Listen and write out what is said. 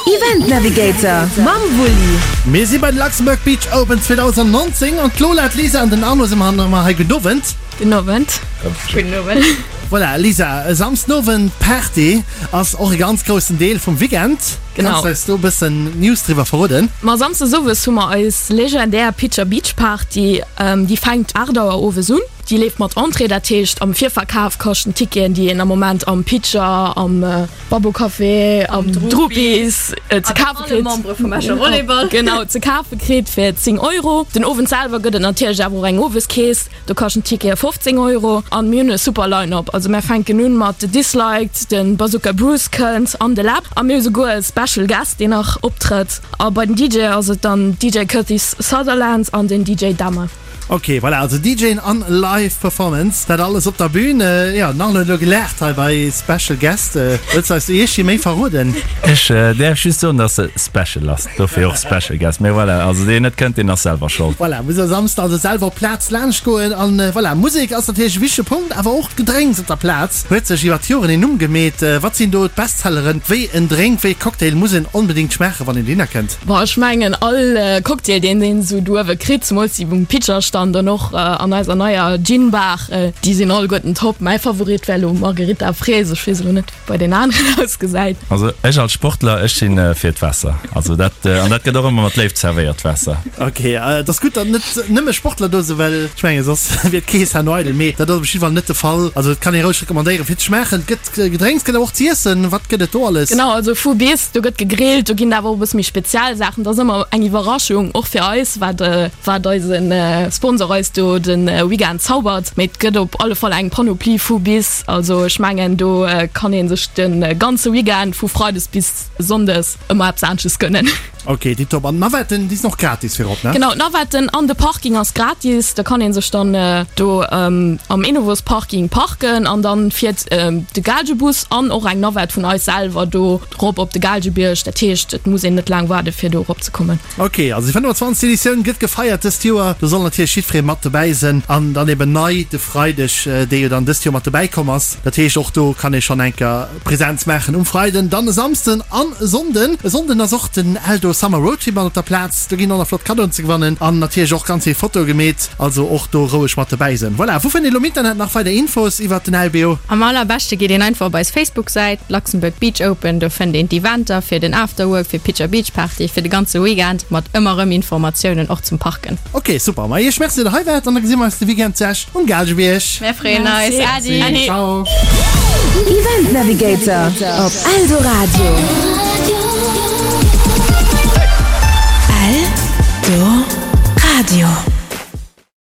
Event Navigator mam Wulli. Mir si bei de Luxembourg Beach Open 2019 an d'Lola, d'Lisa an den Arno si mer nach hei. Gudden Owend. Gudden Owend. Gudden Owend. Voilà, Lisa, e Samsden Owend Party ass och e ganz groussen Deel vum Weekend. Genau. Kanns de eis do e bëssen News driwwer verroden? Ma Samsdes Owes hu mer eis legendär Pitcher Beach Party. Déi fänkt 8 Auer owes un. Déi leeft mat Entrée, dat heescht am Virverkaf kaschten d'Ticketen, déi een am Moment am Pitcher, am Babbo Café, am Drupi's ze kafe kritt. Membere vum Escher Volleyball. Genau, ze kafe kritt fir 10 Euro. Den Owend selwer gëtt et natierlech awer och eng Oweskeess, do kaschten d'Tickete 15 Euro. An mir hunn e super Line-Up, also mär fänken un mat The Disliked, de Bazooka Bruce kënnt an de Läb a mir hu souguer e Special Guest, deen nach optrëtt. A bei den DJ ass et dann DJ Curtis Sutherland an den DJ Damme. Ok, voilà, also DJen an Live Performance, dat alles op der Bühn. Jo, den Arno huet elo gelaacht hei bei Special Guest. Wëlls de eis do iergdi méi verroden? Ech däerf just soen, dass se special ass, dofir och Special Guest. Mee voilà, also deen net kënnt, deen ass selwer schold. Voilà, muss e Samsden also selwer op d'Plaz laanscht goen. An voilà, Musek ass natierlech e wichtege Punkt, awer och d'Gedrénks op der Plaz huet sech iwwer d'Joren een Numm gemeet. Wat sinn do d'Bestselleren? Wéi en Drénk, wéi e Cocktail muss een onbedéngt schmaachen, wann een dohinner kënnt? Bon, ech mengen all Cocktail deen een esou do uewe kritt, zemools déi um Pitcherstand an och an eiser neier Gin Bar, déi sinn alleguerten top. Mäi Favorit wär elo Margherita Fraise, ech weess elo net wéi bei den aneren ausgesäit. Also ech als Sportler, ech si fir d'Waasser, also dat, an dat gëtt och ëmmer mat Léift zerwéiert, d'Waasser. Ok, et ass gutt datt net nëmme Sportler do sinn, well ech menge soss wier d'Kees herno eidel, mee dat ass op jidde Fall net de Fall. Also et kann ee roueg recommandéieren fir ze schmaachen. Et gëtt Gedrénks gëtt awer och z'iessen. Wat gëtt et do alles? Genau, also vu bis, do gëtt gegrillt, do ginn et awer och e bësse méi speziell Saachen. Dat ass ëmmer eng Iwwerraschung, och fir eis, wat wat eise Sponsor eis do de Weekend zaubert. Mee et gëtt op alle Fall eng Panoplie vu bis. Also ech mengen, do kann ee sech de ganze Weekend vu Freides bis Sonndes ëmmer eppes anesches gönnen. Ok, tiptop. An d'Navetten, déi sinn och gratis virop, ne? Genau, d'Navetten an de Parking ass gratis. Da kann ee sech dann do am Enovos Parking parken an dann fiert de Gaalgebus an och eng Navette vun eis selwer do rop op de Gaalgebierg. Dat heescht, et muss een net laang waarde fir do erop ze kommen. Ok, also déi 25. Editioun gëtt gefeiert dëst Joer. Do soll natierlech jiddweree mat dobäi sinn an dann eben nei de Freideg, dee jo dann dëst Joer mat dobäi komm ass. Dat heescht, och do kann ee schonn enker Präsenz maachen um Freiden, dann e Samsden an e Sonnden. E Sonnden ass och den Eldo Summer Roadtrip mat op der Plaz. Do ginn och nach flott Kaddoen ze gewannen an natierlech och ganz vill Fotoe gemeet. Also och do roueg mat dobäi sinn. Voilà, wou fënnt een elo am Internet nach weider Infos iwwert den LBO? Am allerbeschte geet een einfach op eis Facebook-Säit, Luxembourg Beach Open. Do fënnt een d'Eventer fir den Afterwork, fir d'Pitcher Beach Party, fir de ganze Weekend mat ëmmer rëm Informatiounen och zum Parken. Ok, super. Ma iech merci, datt der hei waart an da gesi mer eis de Weekend zu Esch um Gaalgebierg. Mär freeën eis. Merci. Adi. Ciao. Event Navigator op Eldoradio. Eldoradio.